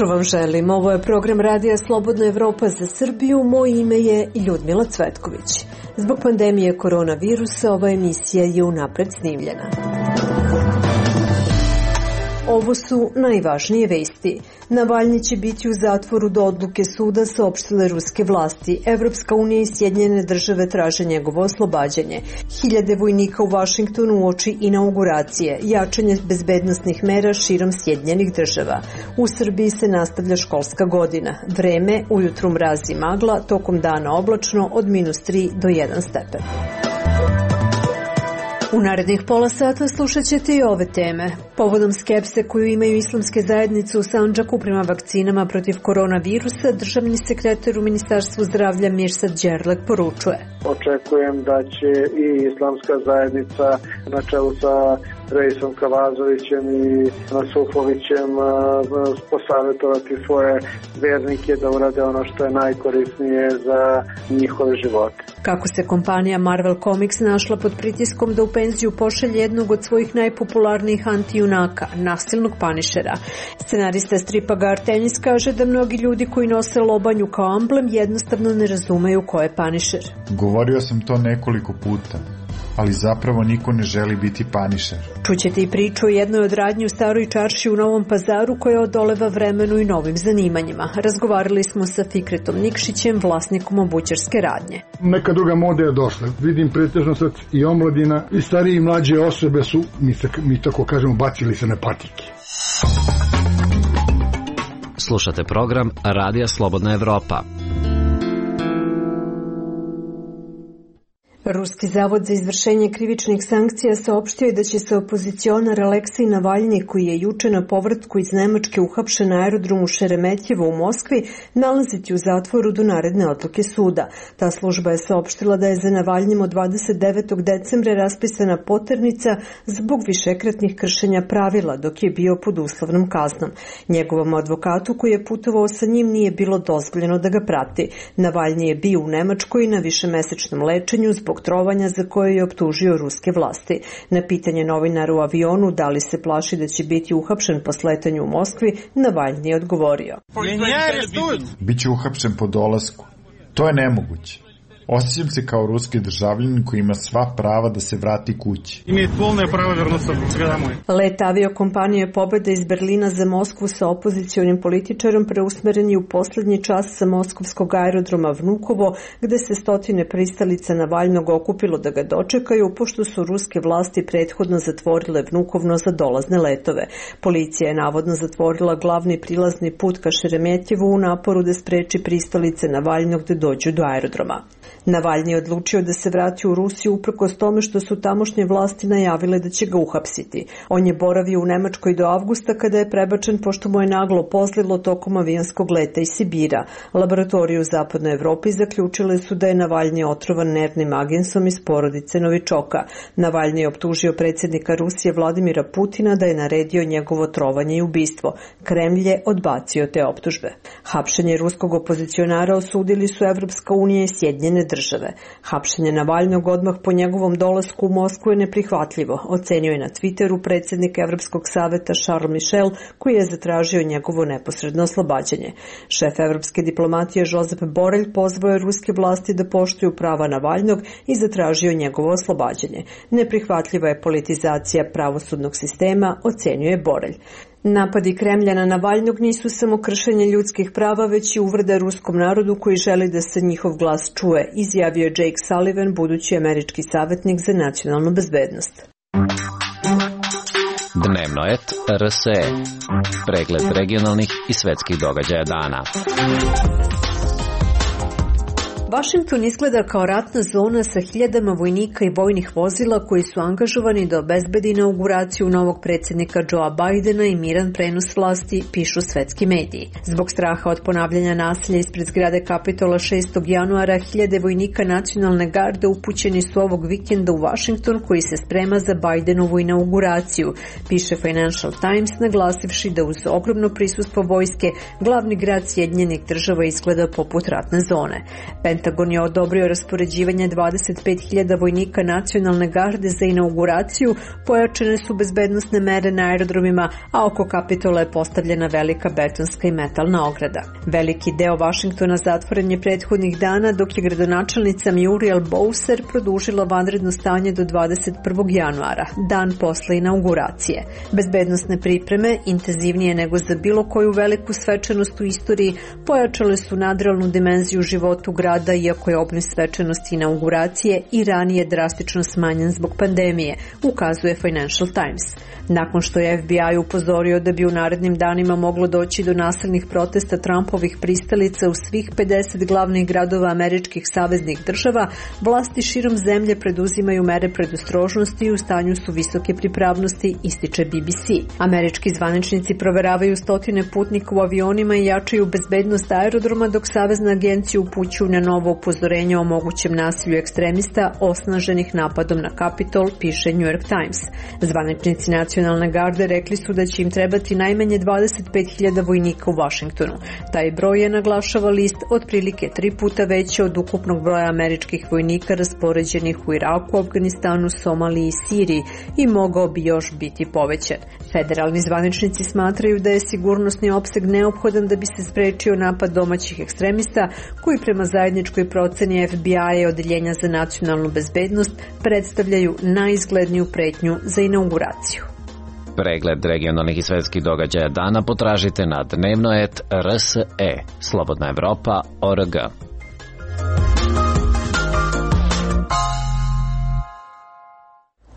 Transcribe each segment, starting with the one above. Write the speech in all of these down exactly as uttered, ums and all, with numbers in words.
jutro vam želim. Ovo je program Radija Slobodna Evropa za Srbiju. Moje ime je Ljudmila Cvetković. Zbog pandemije koronavirusa ova emisija je unapred snimljena. Ovo su najvažnije vesti. Navalnji će biti u zatvoru do odluke suda, saopštile ruske vlasti. Evropska unija i Sjedinjene države traže njegovo oslobađanje. Hiljade vojnika u Vašingtonu uoči inauguracije, jačanje bezbednosnih mera širom Sjedinjenih država. U Srbiji se nastavlja školska godina. Vreme, ujutru mraz i magla, tokom dana oblačno od minus tri do jedan stepen. U narednih pola sata slušat ćete i ove teme. Povodom skepse koju imaju islamske zajednice u Sandžaku prema vakcinama protiv koronavirusa, državni sekretar u Ministarstvu zdravlja Mirsad Đerlek poručuje. Očekujem da će i islamska zajednica na čelu sa Reisom Kavazovićem i Nasufovićem posavjetovati svoje vernike da urade ono što je najkorisnije za njihove živote. Kako se kompanija Marvel Comics našla pod pritiskom da u penziju pošalje jednog od svojih najpopularnijih antijunaka, nasilnog Panišera. Scenarista stripa Gar Tenis kaže da mnogi ljudi koji nose lobanju kao amblem jednostavno ne razumeju ko je Panišer. Govorio sam to nekoliko puta, ali zapravo niko ne želi biti Panišer. Čućete i priču o jednoj od radnji u Staroj Čarši u Novom Pazaru koja odoleva vremenu i novim zanimanjima. Razgovarali smo sa Fikretom Nikšićem, vlasnikom obućarske radnje. Neka druga moda je došla. Vidim pretežno sad i omladina i starije i mlađe osobe su, mi, se, mi tako kažemo, bacili se na patike. Slušate program Radija Slobodna Evropa. Ruski zavod za izvršenje krivičnih sankcija saopštio je da će se opozicionar Aleksej Navalnji, koji je juče na povratku iz Nemačke uhapšen na aerodromu Šeremetjevo u Moskvi, nalaziti u zatvoru do naredne odluke suda. Ta služba je saopštila da je za Navalnjim od dvadeset devetog decembra raspisana poternica zbog višekratnih kršenja pravila dok je bio pod uslovnom kaznom. Njegovom advokatu koji je putovao sa njim nije bilo dozvoljeno da ga prati. Navalnji je bio u Nemačkoj na višemesečnom lečenju zbog trovanja za koje je optužio ruske vlasti. Na pitanje novinara u avionu da li se plaši da će biti uhapšen po sletanju u Moskvi, Navalnji je odgovorio. Biće uhapšen po dolasku. To je nemoguće. Osjećam se kao ruski državljanin koji ima sva prava da se vrati kući. Let aviokompanije Pobeda iz Berlina za Moskvu sa opozicionim političarom preusmeren je u poslednji čas sa moskovskog aerodroma Vnukovo, gde se stotine pristalica Navalnog okupilo da ga dočekaju, pošto su ruske vlasti prethodno zatvorile Vnukovno za dolazne letove. Policija je navodno zatvorila glavni prilazni put ka Šeremetjevu u naporu da spreči pristalice Navalnog da dođu do aerodroma. Navalnji je odlučio da se vrati u Rusiju uprkos tome što su tamošnje vlasti najavile da će ga uhapsiti. On je boravio u Nemačkoj do avgusta kada je prebačen pošto mu je naglo pozlilo tokom avionskog leta iz Sibira. Laboratorije u zapadnoj Evropi zaključile su da je Navalnji otrovan nervnim agensom iz porodice Novičoka. Navalnji je optužio predsjednika Rusije Vladimira Putina da je naredio njegovo trovanje i ubistvo. Kremlj je odbacio te optužbe. Hapšenje ruskog opozicionara osudili su Evropska unija i Sjedinjene države. Hapšenje Navalnog odmah po njegovom dolasku u Moskvu je neprihvatljivo, ocenio je na Twitteru predsjednik Evropskog saveta Charles Michel, koji je zatražio njegovo neposredno oslobađanje. Šef evropske diplomatije Josep Borrell pozvao je ruske vlasti da poštuju prava Navalnog i zatražio njegovo oslobađanje. Neprihvatljiva je politizacija pravosudnog sistema, ocenio je Borrell. Napadi Kremlja na Navalnog nisu samo kršenje ljudskih prava, već i uvreda ruskom narodu koji želi da se njihov glas čuje, izjavio je Jake Sullivan, budući američki savjetnik za nacionalnu bezbednost. Dnevno et R S E. Pregled regionalnih i svetskih događaja dana. Vašington izgleda kao ratna zona sa hiljadama vojnika i vojnih vozila koji su angažovani da obezbedi inauguraciju novog predsjednika Joea Bidena i miran prenos vlasti, pišu svetski mediji. Zbog straha od ponavljanja nasilja ispred zgrade Kapitola šestog januara, hiljade vojnika nacionalne garde upućeni su ovog vikenda u Vašington koji se sprema za Bidenovu inauguraciju, piše Financial Times, naglasivši da uz ogromno prisustvo vojske glavni grad Sjedinjenih država izgleda poput ratne zone. Pentagon je odobrio raspoređivanje dvadeset pet hiljada vojnika nacionalne garde za inauguraciju, pojačane su bezbednosne mere na aerodromima, a oko Kapitola je postavljena velika betonska i metalna ograda. Veliki deo Vašingtona zatvoren je prethodnih dana, dok je gradonačelnica Muriel Bowser produžila vanredno stanje do dvadeset prvog januara, dan posle inauguracije. Bezbednosne pripreme, intenzivnije nego za bilo koju veliku svečanost u istoriji, pojačale su nadrealnu dimenziju života u grada, iako je obim svečanosti inauguracije i ranije drastično smanjen zbog pandemije, ukazuje Financial Times. Nakon što je F B I upozorio da bi u narednim danima moglo doći do nasilnih protesta Trumpovih pristalica u svih pedeset glavnih gradova američkih saveznih država, vlasti širom zemlje preduzimaju mere predostrožnosti i u stanju su visoke pripravnosti, ističe B B C. Američki zvaničnici proveravaju stotine putnika u avionima i jačaju bezbednost aerodroma, dok Savezna agencija upućuju na novo upozorenje o mogućem nasilju ekstremista osnaženih napadom na Kapitol, piše New York Times. Zvaničnici nacionalne garde rekli su da će im trebati najmanje dvadeset pet hiljada vojnika u Vašingtonu. Taj broj je, naglašava list, otprilike tri puta veći od ukupnog broja američkih vojnika raspoređenih u Iraku, Afganistanu, Somaliji i Siriji i mogao bi još biti povećan. Federalni zvaničnici smatraju da je sigurnosni opseg neophodan da bi se sprečio napad domaćih ekstremista, koji prema zajedničkoj proceni F B I i Odeljenja za nacionalnu bezbednost predstavljaju najizgledniju pretnju za inauguraciju. Pregled regionalnih i svetskih događaja dana potražite na dnevnoet R S E, Slobodna Evropa, O R G.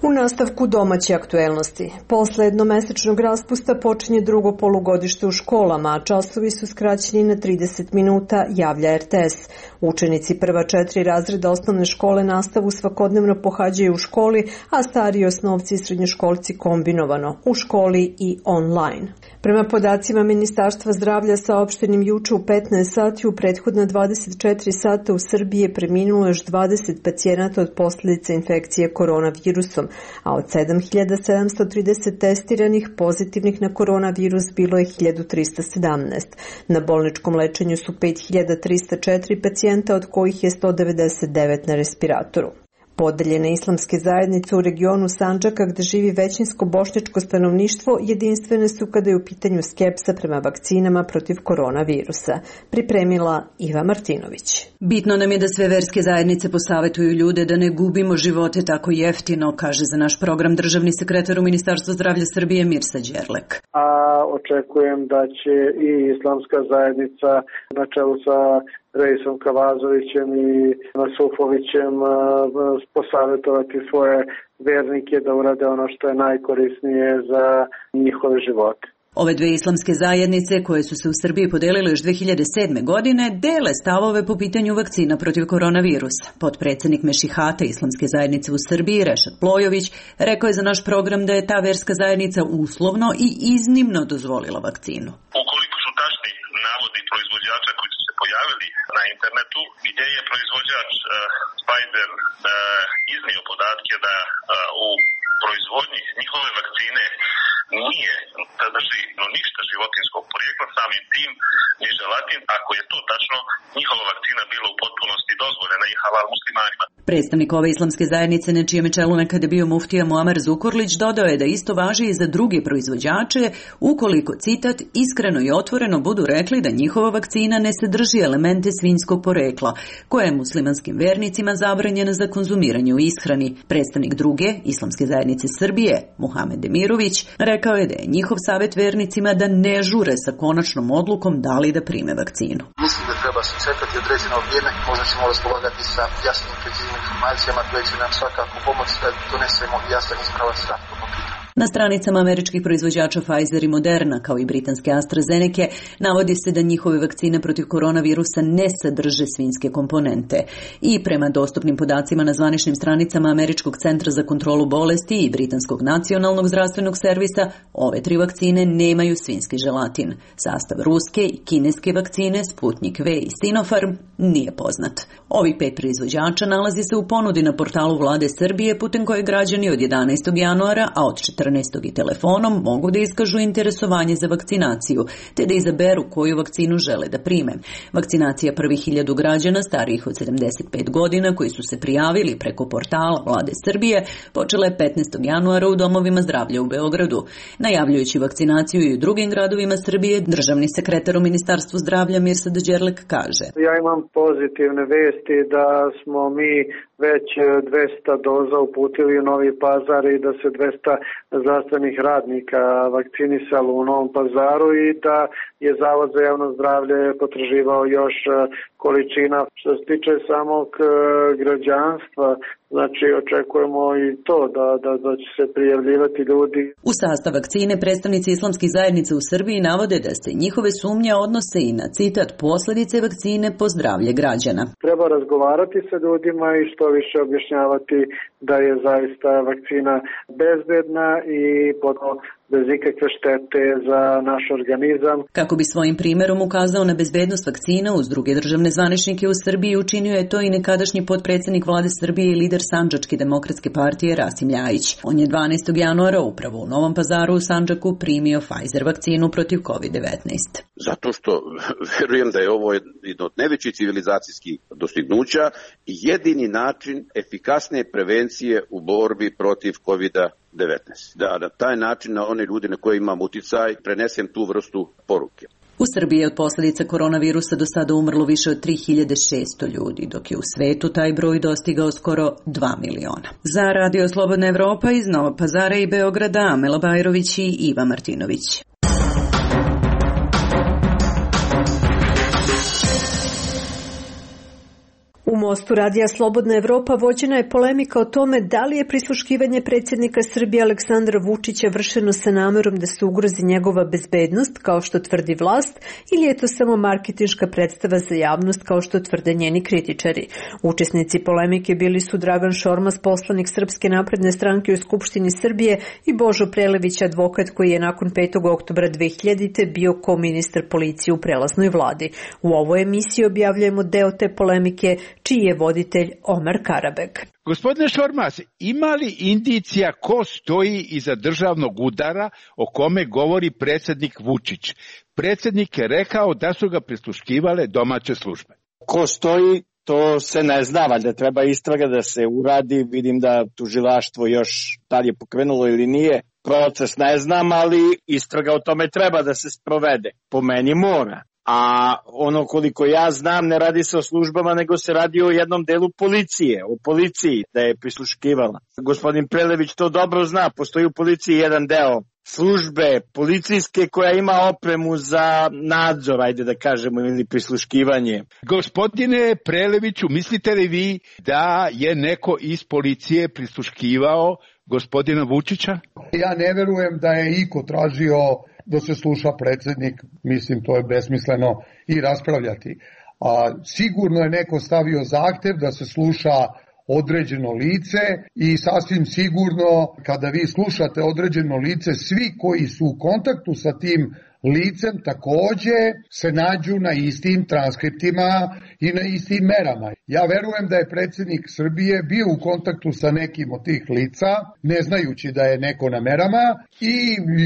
U nastavku domaće aktuelnosti. Posle jednomesečnog raspusta počinje drugo polugodište u školama, a časovi su skraćeni na trideset minuta, javlja R T S. Učenici prva četiri razreda osnovne škole nastavu svakodnevno pohađaju u školi, a stariji osnovci i srednjoškolci kombinovano, u školi i online. Prema podacima Ministarstva zdravlja saopštenim juče u petnaest sati, u prethodna dvadeset četiri sata u Srbiji je preminulo još dvadeset pacijenata od posljedica infekcije koronavirusom, a od sedam hiljada sedamsto trideset testiranih pozitivnih na koronavirus bilo je hiljadu trista sedamnaest. Na bolničkom lečenju su pet hiljada trista četiri pacijenta, od kojih je sto devedeset devet na respiratoru. Podeljene islamske zajednice u regionu Sandžaka, gde živi većinsko bošnjačko stanovništvo, jedinstvene su kada je u pitanju skepsa prema vakcinama protiv koronavirusa. Pripremila Iva Martinović. Bitno nam je da sve verske zajednice posavetuju ljude da ne gubimo živote tako jeftino, kaže za naš program državni sekretar u Ministarstvu zdravlja Srbije Mirsa Đerlek. A očekujem da će i islamska zajednica na čelu sa Reisom Kavazovićem i Nasufovićem posavjetovati svoje vernike da urade ono što je najkorisnije za njihove živote. Ove dve islamske zajednice, koje su se u Srbiji podelile još dve hiljade sedme. godine, dele stavove po pitanju vakcina protiv koronavirusa. Potpredsednik Mešihata islamske zajednice u Srbiji, Rešat Plojović, rekao je za naš program da je ta verska zajednica uslovno i iznimno dozvolila vakcinu. Ukoliko su tačni navodi proizvođača koji su se pojavili na internetu, gdje je proizvođač uh, Pfizer uh, iznio podatke da uh, u proizvodnji njihove vakcine nije sadrži no ništa životinskog porijekla, samim tim ni želatin, ako je to tačno, njihova vakcina bila u potpunosti dozvoljena i halal muslimanima. Predstavnik ove islamske zajednice, na čijem je čelu nekada bio muftija Muamer Zukorlić, dodao je da isto važi i za druge proizvođače, ukoliko, citat, iskreno i otvoreno budu rekli da njihova vakcina ne sadrži elemente svinjskog porekla, koja je muslimanskim vernicima zabranjena za konzumiranje u ishrani. Predstavnik druge islamske zajednice Srbije, Muhamed Demirović, rekao je da je njihov savjet vernicima da ne žure sa konačnom odlukom da li da prime vakcinu. Mislim da treba se čekati određeno vrijeme, možda ćemo raspolagati sa jasnim preciznim informacijama koje će nam svakako pomoći da donesemo jasan ispravan stav po pitanju. Na stranicama američkih proizvođača Pfizer i Moderna, kao i britanske AstraZeneca, navodi se da njihove vakcine protiv koronavirusa ne sadrže svinjske komponente. I prema dostupnim podacima na zvaničnim stranicama Američkog centra za kontrolu bolesti i Britanskog nacionalnog zdravstvenog servisa, ove tri vakcine nemaju svinjski želatin. Sastav ruske i kineske vakcine Sputnik V i Sinopharm nije poznat. Ovih pet proizvođača nalazi se u ponudi na portalu Vlade Srbije putem koje građani od jedanaestog januara, a od četrnaestog i telefonom mogu da iskažu interesovanje za vakcinaciju, te da izaberu koju vakcinu žele da prime. Vakcinacija prvih hiljadu građana starijih od sedamdeset pet godina koji su se prijavili preko portala Vlade Srbije počela je petnaestog januara u domovima zdravlja u Beogradu. Najavljujući vakcinaciju i u drugim gradovima Srbije, državni sekretar u Ministarstvu zdravlja Mirsad Đerlek kaže: Ja imam pozitivne vesti da smo mi već dvesta doza uputili u Novi Pazar i da se dvesta zdravstvenih radnika vakcinisalo u Novom Pazaru i da je Zavod za javno zdravlje potraživao još količina. Što se tiče samog građanstva, znači očekujemo i to da, da, da će se prijavljivati ljudi. U sastav vakcine predstavnici islamskih zajednica u Srbiji navode da se njihove sumnje odnose i na citat posledice vakcine po zdravlje građana. Treba razgovarati sa ljudima i što više objašnjavati da je zaista vakcina bezbedna i potom bez ikakve štete za naš organizam. Kako bi svojim primjerom ukazao na bezbednost vakcina uz druge državne zvaničnike u Srbiji, učinio je to i nekadašnji potpredsjednik Vlade Srbije i lider Sandžačke demokratske partije Rasim Ljajić. On je dvanaestog januara upravo u Novom Pazaru u Sandžaku primio Pfizer vakcinu protiv kovid devetnaest. Zato što verujem da je ovo jedno od najvećih civilizacijskih dostignuća i jedini način efikasne prevencije u borbi protiv kovid devetnaest. Da na taj način na one ljudi na koje imam uticaj prenesem tu vrstu poruke. U Srbiji je od posljedica koronavirusa do sada umrlo više od tri hiljade šesto ljudi, dok je u svetu taj broj dostigao skoro dva miliona. Za Radio Slobodna Evropa iz Novog Pazara i Beograda, Amela Bajrović i Iva Martinović. U Mostu Radija Slobodna Evropa vođena je polemika o tome da li je prisluškivanje predsjednika Srbije Aleksandra Vučića vršeno sa namerom da se ugrozi njegova bezbednost, kao što tvrdi vlast, ili je to samo marketinška predstava za javnost, kao što tvrde njeni kritičari. Učesnici polemike bili su Dragan Šormaz, poslanik Srpske napredne stranke u Skupštini Srbije, i Božo Prelević, advokat koji je nakon petog oktobra dve hiljadite bio koministar policije u prelaznoj vladi. U ovoj emisiji objavljujemo deo te polemike, čiji je voditelj Omar Karabeg. Gospodine Šormaz, ima li indicija ko stoji iza državnog udara o kome govori predsjednik Vučić? Predsjednik je rekao da su ga prisluškivale domaće službe. Ko stoji, to se ne zna, valjda treba istraga da se uradi. Vidim da tužilaštvo još da li je pokrenulo ili nije. Proces ne znam, ali istraga o tome treba da se sprovede. Po meni mora. A ono koliko ja znam, ne radi se o službama, nego se radi o jednom delu policije, o policiji da je prisluškivala. Gospodin Prelević to dobro zna, postoji u policiji jedan deo službe policijske koja ima opremu za nadzor, ajde da kažemo, ili prisluškivanje. Gospodine Preleviću, mislite li vi da je neko iz policije prisluškivao gospodina Vučića? Ja ne verujem da je iko tražio da se sluša predsjednik, mislim to je besmisleno i raspravljati. A, sigurno je neko stavio zahtev da se sluša određeno lice i sasvim sigurno kada vi slušate određeno lice, svi koji su u kontaktu sa tim licem takođe se nađu na istim transkriptima i na istim merama. Ja verujem da je predsjednik Srbije bio u kontaktu sa nekim od tih lica, ne znajući da je neko na merama, i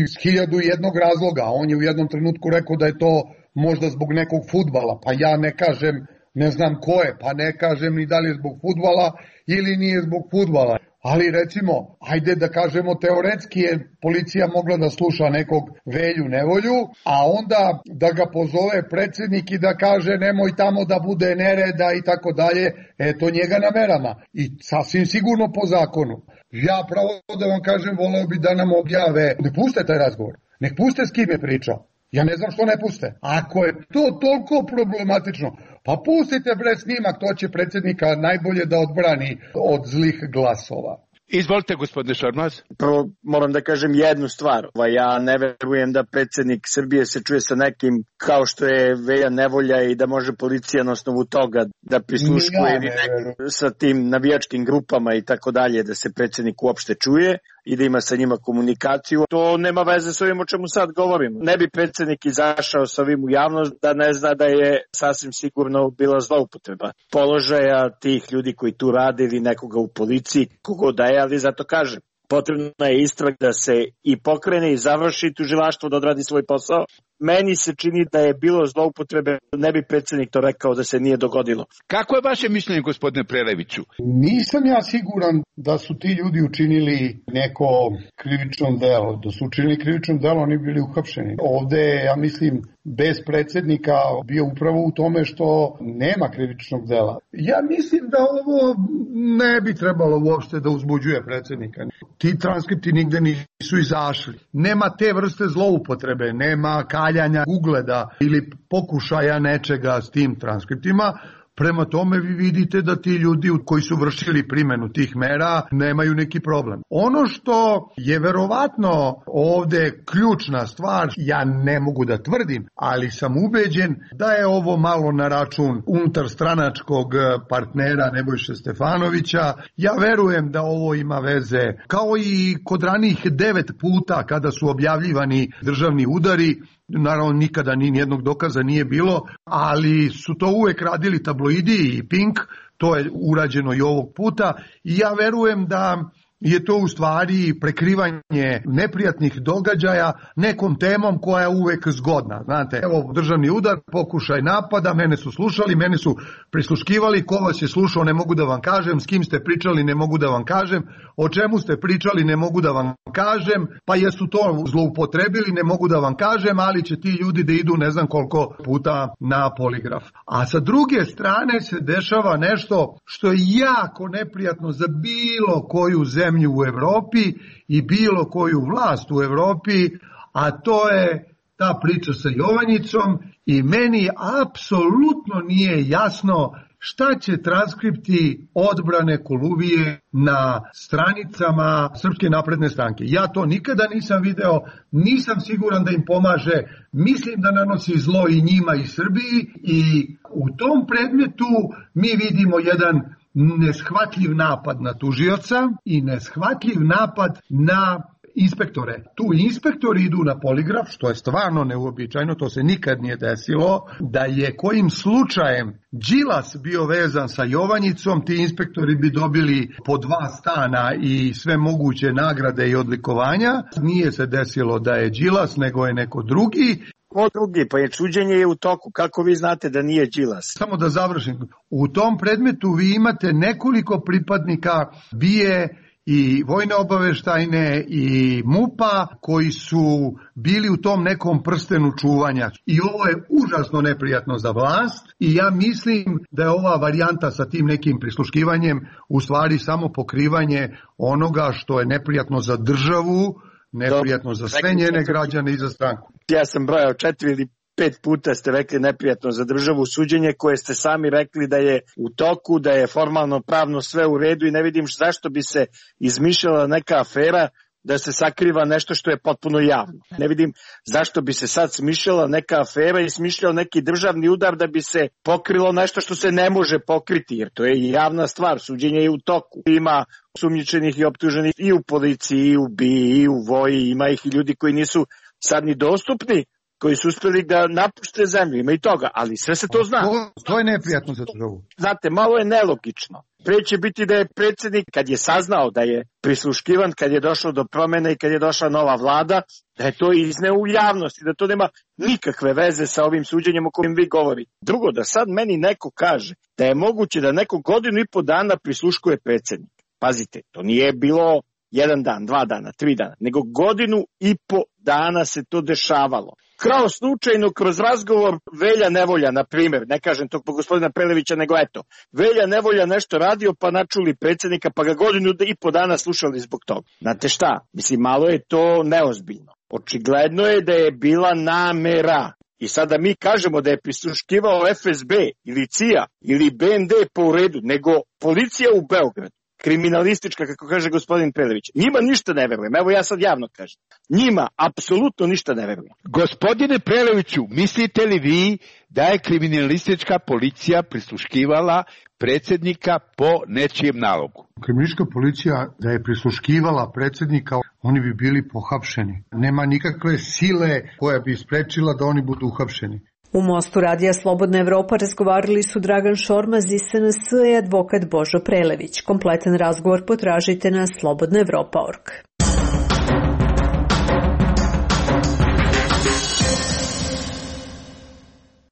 iz hiljadu jednog razloga. On je u jednom trenutku rekao da je to možda zbog nekog fudbala, pa ja ne kažem, ne znam ko je, pa ne kažem ni da li je zbog fudbala ili nije zbog fudbala. Ali recimo, ajde da kažemo teoretski je policija mogla da sluša nekog Velju Nevolju, a onda da ga pozove predsjednik i da kaže nemoj tamo da bude nereda i tako dalje, eto njega na merama. I sasvim sigurno po zakonu. Ja pravo da vam kažem, voleo bi da nam objave, ne puste taj razgovor, nek puste s kim je pričao. Ja ne znam što ne puste. Ako je to toliko problematično, pa pustite bre snimak, to će predsjednika najbolje da odbrani od zlih glasova. Izvolite, gospodine Šormaz. Prvo moram da kažem jednu stvar. Ja ne verujem da predsjednik Srbije se čuje sa nekim kao što je Velja Nevolja i da može policija na osnovu toga da prisluškuje ja, sa tim navijačkim grupama i tako dalje, da se predsjednik uopšte čuje. i da ima sa njima komunikaciju. To nema veze s ovim o čemu sad govorimo. Ne bi predsjednik izašao sa ovim u javnost da ne zna da je sasvim sigurno bila zloupotreba položaja tih ljudi koji tu rade ili nekoga u policiji, kogo da je, ali zato kažem, potrebna je istraga da se i pokrene i završi tužilaštvo da odradi svoj posao. Meni se čini da je bilo zloupotrebe, ne bi predsjednik to rekao da se nije dogodilo. Kako je vaše mišljenje, gospodine Preleviću? Nisam ja siguran da su ti ljudi učinili neko krivično delo. Da su učinili krivično delo, oni bili uhapšeni. Ovde, ja mislim, bez predsjednika bio upravo u tome što nema krivičnog dela. Ja mislim da ovo ne bi trebalo uopšte da uzbuđuje predsjednika. Ti transkripti nigde nisu izašli. Nema te vrste zloupotrebe, nema kaljanja ugleda ili pokušaja nečega s tim transkriptima. Prema tome vi vidite da ti ljudi koji su vršili primjenu tih mera nemaju neki problem. Ono što je verovatno ovde ključna stvar, ja ne mogu da tvrdim, ali sam ubeđen da je ovo malo na račun unutarstranačkog partnera Nebojše Stefanovića. Ja verujem da ovo ima veze, kao i kod ranijih devet puta kada su objavljivani državni udari. Naravno, nikada ni nijednog dokaza nije bilo, ali su to uvek radili tabloidi i Pink, to je urađeno i ovog puta i ja verujem da je to u stvari prekrivanje neprijatnih događaja nekom temom koja je uvek zgodna. Znate, evo državni udar, pokušaj napada, mene su slušali, mene su prisluškivali, ko vas je slušao ne mogu da vam kažem, s kim ste pričali ne mogu da vam kažem, o čemu ste pričali ne mogu da vam kažem, pa jesu to zloupotrebili ne mogu da vam kažem, ali će ti ljudi da idu ne znam koliko puta na poligraf. A sa druge strane se dešava nešto što je jako neprijatno za bilo koju zemlju u Evropi i bilo koju vlast u Evropi, a to je ta priča sa Jovanjicom i meni apsolutno nije jasno šta će transkripti odbrane Koluvije na stranicama Srpske napredne stranke. Ja to nikada nisam video, nisam siguran da im pomaže, mislim da nanosi zlo i njima i Srbiji i u tom predmetu mi vidimo jedan neshvatljiv napad na tužioca i neshvatljiv napad na inspektore. Tu inspektori idu na poligraf, što je stvarno neuobičajeno, to se nikad nije desilo, da je kojim slučajem Đilas bio vezan sa Jovanjicom, ti inspektori bi dobili po dva stana i sve moguće nagrade i odlikovanja. Nije se desilo da je Đilas, nego je neko drugi. Ko drugi? Pa je suđenje je u toku. Kako vi znate da nije Đilas? Samo da završim. U tom predmetu vi imate nekoliko pripadnika B I E i vojne obaveštajne i MUP-a koji su bili u tom nekom prstenu čuvanja. I ovo je užasno neprijatno za vlast i ja mislim da je ova varijanta sa tim nekim prisluškivanjem u stvari samo pokrivanje onoga što je neprijatno za državu, neprijatno za sve njene građane i za stranku. Ja sam brojao četiri ili pet puta ste rekli neprijatno za državu suđenje koje ste sami rekli da je u toku, da je formalno pravno sve u redu i ne vidim zašto bi se izmišljala neka afera da se sakriva nešto što je potpuno javno. Ne vidim zašto bi se sad smišljala neka afera i smišljao neki državni udar da bi se pokrilo nešto što se ne može pokriti, jer to je javna stvar, suđenje je u toku. Ima sumnjičenih i optuženih i u policiji, i u B I E, i u voji, ima ih i ljudi koji nisu sad ni dostupni, koji su uspeli da napušte zemlju, ima i toga, ali sve se to zna. To, to je neprijatno za državu. Znate, malo je nelogično. Pre će biti da je predsjednik, kad je saznao da je prisluškivan, kad je došlo do promjene i kad je došla nova vlada, da je to izneo u javnosti, da to nema nikakve veze sa ovim suđenjem o kojem vi govorite. Drugo, da sad meni neko kaže da je moguće da neko godinu i po dana prisluškuje predsjednik. Pazite, to nije bilo jedan dan, dva dana, tri dana, nego godinu i po dana se to dešavalo. Kao slučajno kroz razgovor Velja Nevolja, na primjer, ne kažem tog po gospodina Prelevića, nego eto, Velja Nevolja nešto radio pa načuli predsjednika pa ga godinu i po dana slušali zbog toga. Znate šta, mislim, malo je to neozbiljno. Očigledno je da je bila namera. I sada mi kažemo da je prisluškivao F S B ili C I A ili B N D po uredu, nego policija u Beogradu. kriminalistička, kako kaže gospodin Prelević. Njima ništa ne verujem. Evo ja sad javno kažem. Njima apsolutno ništa ne verujem. Gospodine Preleviću, mislite li vi da je kriminalistička policija prisluškivala predsjednika po nečijem nalogu? Kriminalistička policija da je prisluškivala predsjednika, oni bi bili pohapšeni. Nema nikakve sile koja bi sprečila da oni budu uhapšeni. U Mostu radija Slobodna Evropa razgovarali su Dragan Šormaz iz S N S i advokat Božo Prelević. Kompletan razgovor potražite na slobodna evropa tačka org.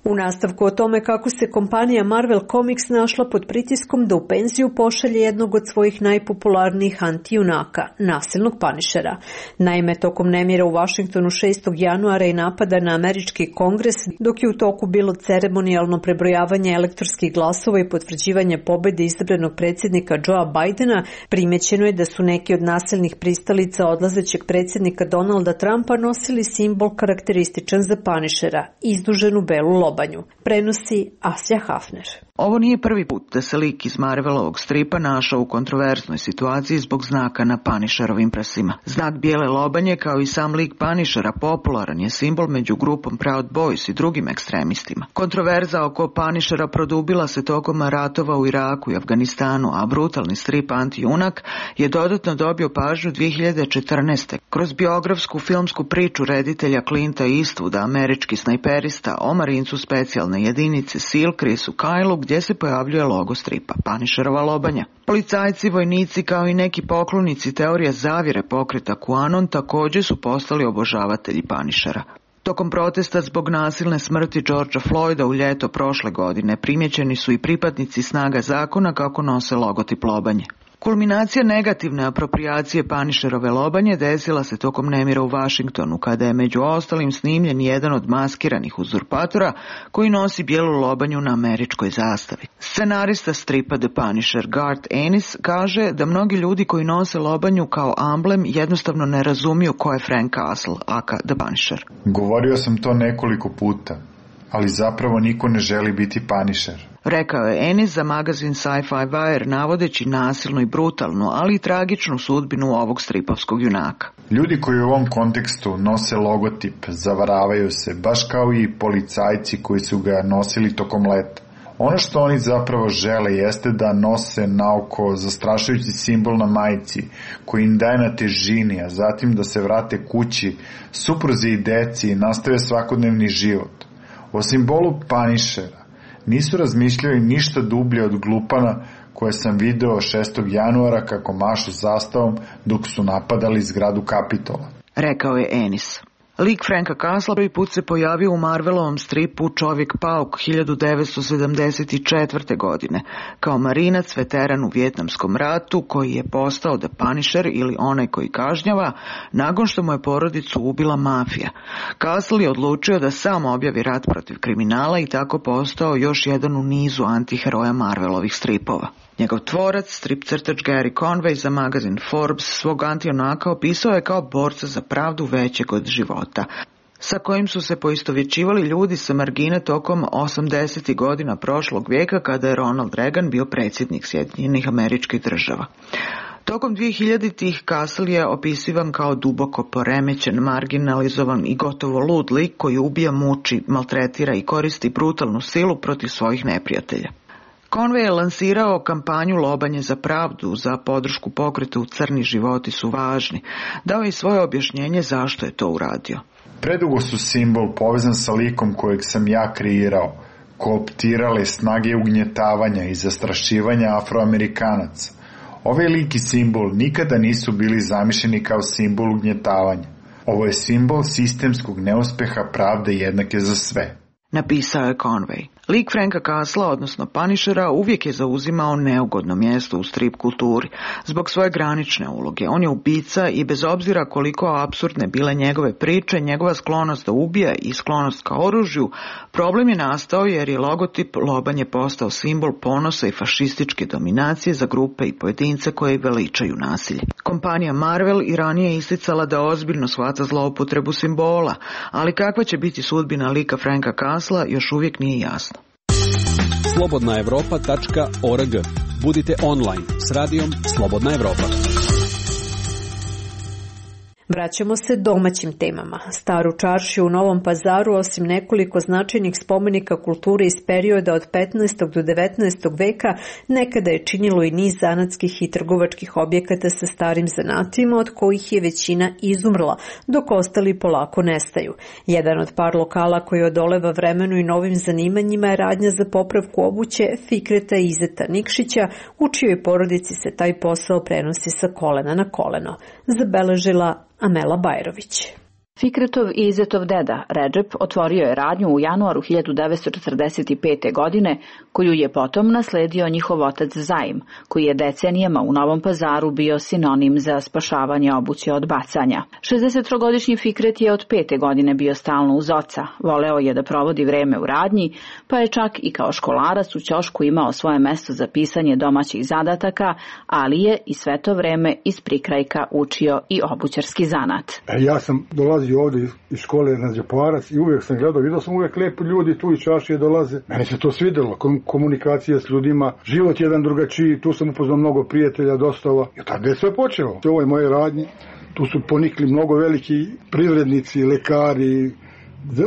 U nastavku o tome kako se kompanija Marvel Comics našla pod pritiskom da u penziju pošalje jednog od svojih najpopularnijih antijunaka, nasilnog Punishera. Naime, tokom nemira u Vašingtonu šestog januara i napada na američki kongres, dok je u toku bilo ceremonijalno prebrojavanje elektorskih glasova i potvrđivanje pobede izabranog predsjednika Joea Bidena, primećeno je da su neki od nasilnih pristalica odlazećeg predsjednika Donalda Trumpa nosili simbol karakterističan za Punishera, izduženu belu lobanju. Prenosi Asja Hafner. Ovo nije prvi put da se lik iz Marvelovog stripa našao u kontroverznoj situaciji zbog znaka na Punisherovim prsima. Znak bijele lobanje, kao i sam lik Punishera, popularan je simbol među grupom Proud Boys i drugim ekstremistima. Kontroverza oko Punishera produbila se tokom ratova u Iraku i Afganistanu, a brutalni strip antijunak je dodatno dobio pažnju dvije hiljade četrnaeste. Kroz biografsku filmsku priču reditelja Clinta Eastwooda, američki snajperista, o marincu specijalne jedinice SEAL Chrisu Kylu, gdje se pojavljuje logo stripa, Punisherova lobanja. Policajci, vojnici kao i neki poklonici teorija zavjere pokreta QAnon također su postali obožavatelji Punishera. Tokom protesta zbog nasilne smrti Georgea Floyda u ljeto prošle godine primjećeni su i pripadnici snaga zakona kako nose logotip lobanje. Kulminacija negativne aproprijacije Punisherove lobanje desila se tokom nemira u Vašingtonu, kada je među ostalim snimljen jedan od maskiranih uzurpatora koji nosi bijelu lobanju na američkoj zastavi. Scenarista stripa The Punisher Garth Ennis kaže da mnogi ljudi koji nose lobanju kao amblem jednostavno ne razumiju ko je Frank Castle, aka The Punisher. Govorio sam to nekoliko puta, ali zapravo niko ne želi biti Punisher. Rekao je Ennis za magazin Sci-Fi Wire, navodeći nasilnu i brutalnu, ali i tragičnu sudbinu ovog stripovskog junaka. Ljudi koji u ovom kontekstu nose logotip zavaravaju se, baš kao i policajci koji su ga nosili tokom leta. Ono što oni zapravo žele jeste da nose naoko zastrašujući simbol na majici koji im daje na težini, a zatim da se vrate kući, supruzi i deci i nastave svakodnevni život. O simbolu Punishera nisu razmišljali ništa dublje od glupana koje sam video šestog januara kako mašu zastavom dok su napadali zgradu Kapitola. Rekao je Ennis. Lik Franka Castle prvi put se pojavio u Marvelovom stripu Čovjek-pauk hiljadu devetsto sedamdeset četvrte. godine, kao marinac veteran u Vijetnamskom ratu koji je postao The Punisher ili onaj koji kažnjava, nakon što mu je porodicu ubila mafija. Castle je odlučio da sam objavi rat protiv kriminala i tako postao još jedan u nizu antiheroja Marvelovih stripova. Njegov tvorac, strip crtač Gary Conway za magazin Forbes, svog antijunaka opisao je kao borca za pravdu većeg od života, sa kojim su se poistovjećivali ljudi sa margine tokom osamdesetih godina prošlog vijeka kada je Ronald Reagan bio predsjednik Sjedinjenih Američkih Država. Tokom dvije hiljaditih Castle je opisivan kao duboko poremećen, marginalizovan i gotovo lud lik koji ubija, muči, maltretira i koristi brutalnu silu protiv svojih neprijatelja. Conway je lansirao kampanju Lobanje za pravdu, za podršku pokretu Crni životi su važni. Dao je svoje objašnjenje zašto je to uradio. Predugo su simbol povezan sa likom kojeg sam ja kreirao, kooptirale snage ugnjetavanja i zastrašivanja Afroamerikanaca. Ovaj lik i simbol nikada nisu bili zamišljeni kao simbol ugnjetavanja. Ovo je simbol sistemskog neuspeha pravde jednake za sve. Napisao je Conway. Lik Franka Castlea, odnosno Punishera, uvijek je zauzimao neugodno mjesto u strip kulturi zbog svoje granične uloge. On je ubica i bez obzira koliko apsurdne bile njegove priče, njegova sklonost da ubija i sklonost ka oružju, problem je nastao jer je logotip lobanje postao simbol ponosa i fašističke dominacije za grupe i pojedince koje veličaju nasilje. Kompanija Marvel i ranije isticala da ozbiljno shvata zloupotrebu simbola, ali kakva će biti sudbina lika Franka Castlea još uvijek nije jasno. slobodna evropa tačka org. Budite online s radijom Slobodna Evropa. Vraćamo se domaćim temama. Staru čaršiju u Novom Pazaru, osim nekoliko značajnih spomenika kulture iz perioda od petnaestog do devetnaestog veka, nekada je činilo i niz zanatskih i trgovačkih objekata sa starim zanatima, od kojih je većina izumrla, dok ostali polako nestaju. Jedan od par lokala koji odoleva vremenu i novim zanimanjima je radnja za popravku obuće Fikreta Izeta Nikšića, u čijoj porodici se taj posao prenosi sa kolena na koleno. Zabeležila Amela Bajrović. Fikretov i Izetov deda, Redžep, otvorio je radnju u januaru hiljadu devetsto četrdeset pete. godine, koju je potom nasledio njihov otac Zaim, koji je decenijama u Novom Pazaru bio sinonim za spašavanje obuće od bacanja. šezdesettrogodišnji Fikret je od pete godine bio stalno uz oca, voleo je da provodi vreme u radnji, pa je čak i kao školarac u ćošku imao svoje mesto za pisanje domaćih zadataka, ali je i sve to vreme iz prikrajka učio i obućarski zanat. E, ja sam dolazio ovdje iz škole na Đeparac i uvijek sam gledao, vidio sam uvijek lijepi ljudi tu iz čaršije dolaze. Meni se to svidjelo, komunikacija s ljudima, život jedan drugačiji, tu sam upoznao mnogo prijatelja, dostava. I tada je sve počelo. U ovoj moje radnji, tu su ponikli mnogo veliki privrednici, lekari,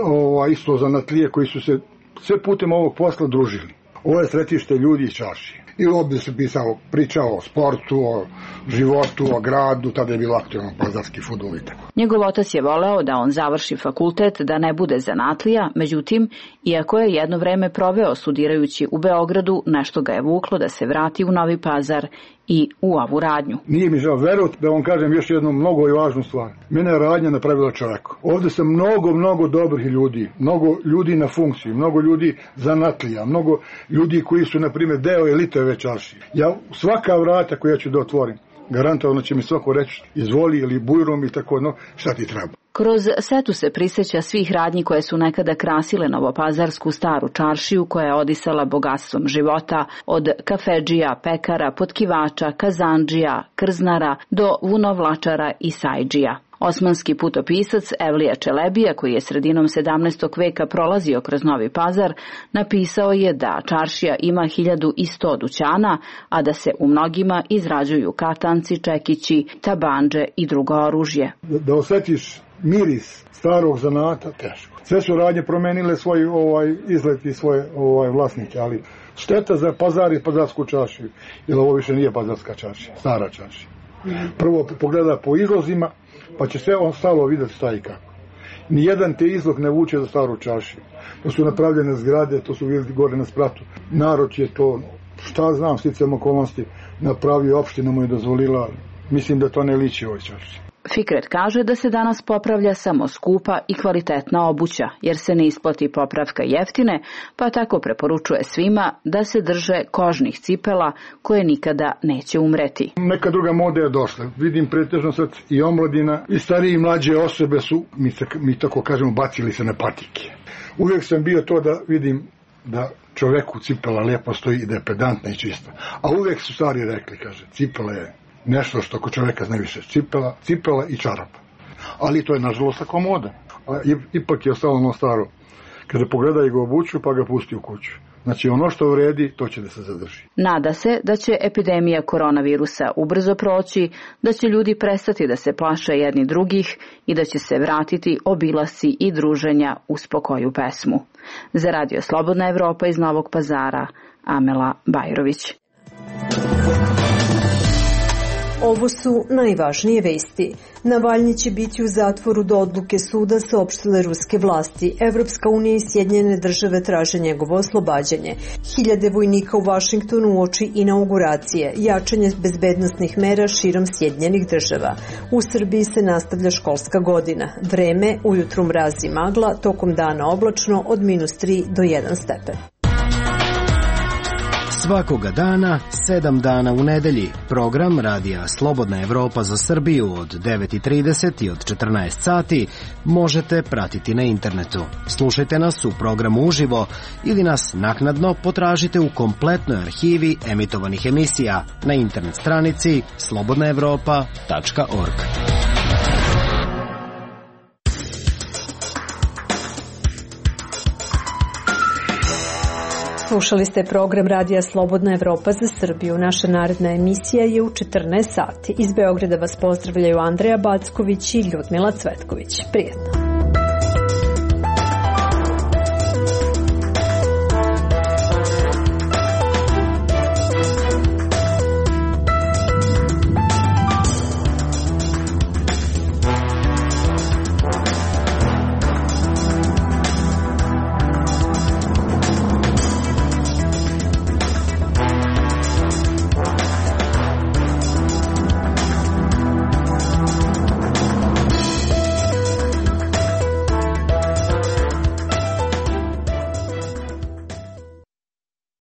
ova, isto zanatlije koji su se sve putem ovog posla družili. Ovo je sretište ljudi iz čaršije. I ovdje se pisao, pričao o sportu, o životu, o gradu, tada je bilo aktualno pazarski fudbal i tako. Njegov otac je voleo da on završi fakultet, da ne bude zanatlija, međutim, iako je jedno vreme proveo studirajući u Beogradu, nešto ga je vuklo da se vrati u Novi Pazar i u ovu radnju. Nije mi žao, verujte da vam kažem još jednu mnogo i važnu stvar. Mene je radnja napravila čovjeka. Ovdje sam mnogo, mnogo dobrih ljudi, mnogo ljudi na funkciji, mnogo ljudi zanatlija, mnogo ljudi koji su, na primjer, deo elite ove čaršije. Ja svaka vrata koja ću da otvorim, garantovano će mi svako reći izvoli ili bujrom i tako, no, šta ti treba. Kroz setu se prisjeća svih radnji koje su nekada krasile novopazarsku staru čaršiju, koja je odisala bogatstvom života, od kafedžija, pekara, potkivača, kazandžija, krznara do vunovlačara i sajdžija. Osmanski putopisac Evlija Čelebija, koji je sredinom sedamnaestog veka prolazio kroz Novi Pazar, napisao je da čaršija ima hiljadu i sto dućana, a da se u mnogima izrađuju katanci, čekići, tabandže i drugo oružje. Da, da osjetiš miris starog zanata, teško. Sve su radnje promenile svoj ovaj izlet i svoje ovaj vlasnike, ali šteta za Pazar i pazarsku čaršiju, jer ovo više nije pazarska čaršija, stara čaršija. Prvo pogleda po izlozima, pa će sve ostalo vidjeti šta i kako. Nijedan te izlog ne vuče za staru čaršiju. To su napravljene zgrade, to su vidjeti gore na spratu. Narod je to, šta znam, sticajem okolnosti, napravio, opština mu je dozvolila. Mislim da to ne liči ovoj čaršiji. Fikret kaže da se danas popravlja samo skupa i kvalitetna obuća, jer se ne isplati popravka jeftine, pa tako preporučuje svima da se drže kožnih cipela koje nikada neće umreti. Neka druga moda je došla. Vidim pretežno sad i omladina i stariji i mlađe osobe su, mi, se, mi tako kažemo, bacili se na patike. Uvijek sam bio to da vidim da čoveku cipela lijepo stoji i da je pedantna i čista. A uvijek su stari rekli, kaže, cipela je nešto što kod čovjeka zna više, cipela, cipela i čarapa. Ali to je nažalost tako moda. A ipak je ostalo ono staro. Kada pogledaj ga obuću, pa ga pusti u kuću. Znači ono što vredi, to će da se zadrži. Nada se da će epidemija koronavirusa ubrzo proći, da će ljudi prestati da se plaše jedni drugih i da će se vratiti obilasci i druženja uz pokoju pesmu. Za Radio Slobodna Evropa iz Novog Pazara, Amela Bajrović. Ovo su najvažnije vesti. Navalnji će biti u zatvoru do odluke suda, saopštile ruske vlasti. Evropska unija i Sjedinjene države traže njegovo oslobađanje. Hiljade vojnika u Vašingtonu uoči inauguracije, jačanje bezbednosnih mera širom Sjedinjenih država. U Srbiji se nastavlja školska godina. Vreme, ujutru mraz i magla, tokom dana oblačno od minus tri do jedan stepen. Svakoga dana, sedam dana u nedelji. Program Radija Slobodna Evropa za Srbiju od devet i trideset i od četrnaest sati možete pratiti na internetu. Slušajte nas u programu uživo ili nas naknadno potražite u kompletnoj arhivi emitovanih emisija na internet stranici slobodna evropa tačka org. Slušali ste program Radija Slobodna Evropa za Srbiju. Naša naredna emisija je u četrnaest sati. Iz Beograda vas pozdravljaju Andreja Backović i Ljudmila Cvetković. Prijetno.